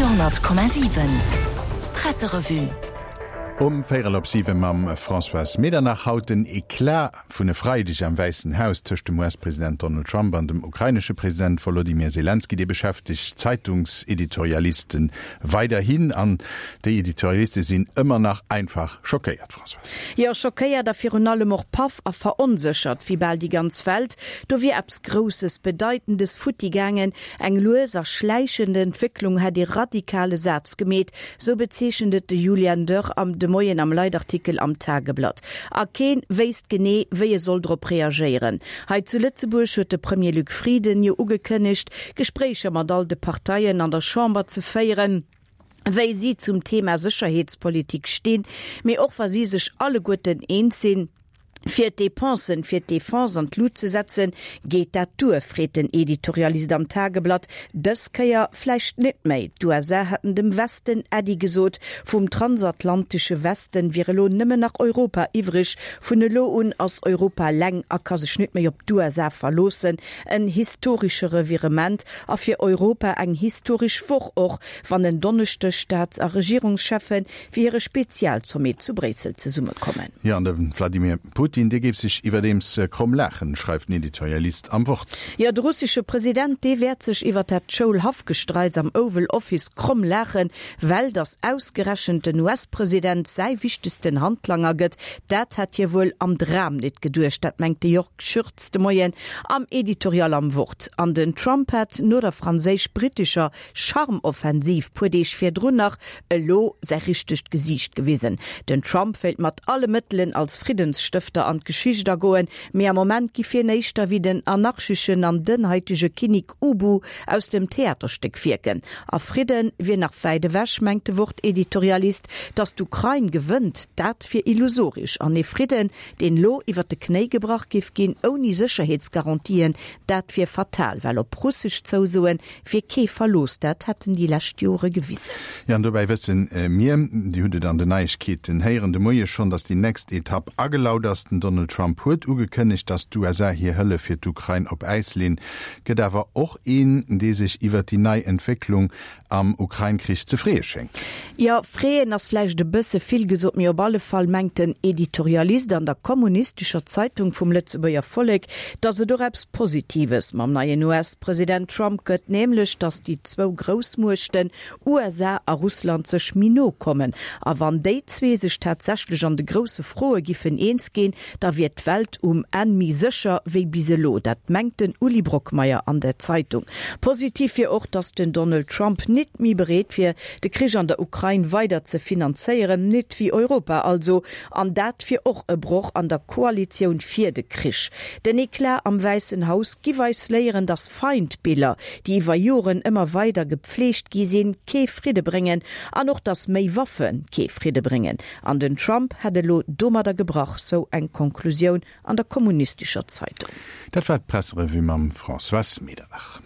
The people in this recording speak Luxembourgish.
Radio,7 Presserevue. Um véierel op 7 mam Françoise Medernach. Haut den Eclat vun e Freideg am Wäissen Haus tëscht dem US-President Donald Trump an dem ukrainesche President Wolodymyr Selenskyj, dee beschäftegt d'Zeitungseditorialisten weiderhin. An déi Editorialiste sinn ëmmer nach einfach schockéiert, Françoise. Jo, schockéiert a virun allem och paff a veronséchert, wéi bal déi ganz Welt. Do wier eppes Grousses, Bedeitendes futti gaangen. Eng lues a schläichend Entwécklung hätt ee radikale Saz gemeet, sou bezeechent et de Julian Dörr am de Moien am Leitartikel am Tageblatt. A keen wéisst genee, wéi e soll drop reagéieren. Hei zu Lëtzebuerg huet de Premier Luc Frieden jo ugekënnegt, Gespréicher mat all de Parteien an der Chamber ze féieren, wéi si zum Thema Sécherheetspolitik stinn, mee och wa si sech alleguerten eens sinn, fir d'Depensen fir d'Defense an d'Lut ze setzen. Geet dat duer, freet den Editorialist am Tageblatt. Dës Kéier vläicht net méi. D'USA hätten dem Westen Äddi gesot. Vum transatlantesche Westen wier elo nëmmen nach Europa iwwreg. Vun elo un ass Europa eleng a ka sech net méi op d'USA verloossen. En historesche Revirement a fir Europa eng historesch Woch, och wann en Donneschdeg Staats a Regierungscheffe fir hire Spezialsommet zu Bréissel zesummekommen. Jo, an de Wladimir Putin, dee géif sech iwwerdeems kromm laachen, schreift den Editorialist am Wort. Jo, de russesche President, dee wäert sech iwwer dat Schoulhaffgestreits am Oval Office kromm laachen, well datt ausgerechent den US-President säi wichtegsten Handlanger gëtt, dat hätt hie wuel am Dram nit geduecht. Dat mengt de Jörg Schürz de Moien am Editorial am Wort. An den Trump hätt no der franséisch-brittescher Charmoffensiv puer Deeg virdrun nach elo säi richtegt Gesiicht gewisen. Den Trump wéilt mat alle Mëttelen als Friddensstëfter an d'Geschicht agoen, mee am Moment giff hien éischter wéi den anarcheschen an dënnhaitege Kinnik Ubu aus dem Theaterstéck wierken. A Fridde wier nach wäit ewech, mengt de Wort-Editorialist. Datt d'Ukrain gewënnt, dat wier illusorisch. An ee Fridden, deen elo iwwer de Knéi gebrach giff ginn, ouni Sécherheetsgarantien, dat wier fatal, well op russesch Zousoen Wier kee Verlooss, dat hätten déi lescht Jore gewisen. Jo, an dobäi wësse mir, Dir hutt et an den Neiegkeeten héieren de Moie schonn, datt déi nächst Etapp agelaut ass. Den Donald Trump huet ugekënnegt, datt d'USA hir Hëllef fir d'Ukrain op Äis leen. Gëtt awer och een, dee sech iwwert déi nei Entwécklung am Ukrain-Krich ze freeë schéngt. Jo, freeën ass vläicht e bësse vill gesot, mee op alle Fall mengt den Editorialist an der kommunistescher Zeitung vum Lëtzebuerger Vollek, datt et och eppes Positives mam neien US-President Trump gëtt, nämlech datt déi zwou Groussmuechten USA a Russland sech méi no kommen. A wann déi zwee sech tatsächlech an de grousse Froe giffen eens ginn, da wier d'Welt um Enn méi sécher wéi bis elo. Dat mengt den Uli Brockmeyer an der Zeitung. Positiv wier och, datt den Donald Trump nit méi bereet wier, de Krich an der Ukrain weider ze finanzéieren, nit wéi Europa also. An dat wier och e Broch an der Koalitioun fir de Krich. Den Eclat am Wäissen Haus giff eis léieren, datt Feindbiller, déi iwwer Joren ëmmer weider gepfleegt gi sinn, kee Fridde bréngen an och datt méi Waffe kee Fridde bréngen. An den Trump hätt elo domadder gebrach, sou eng Konklusioun an der kommunistescher Zeitung. Dat war d'Presserevue mam Françoise Medernach.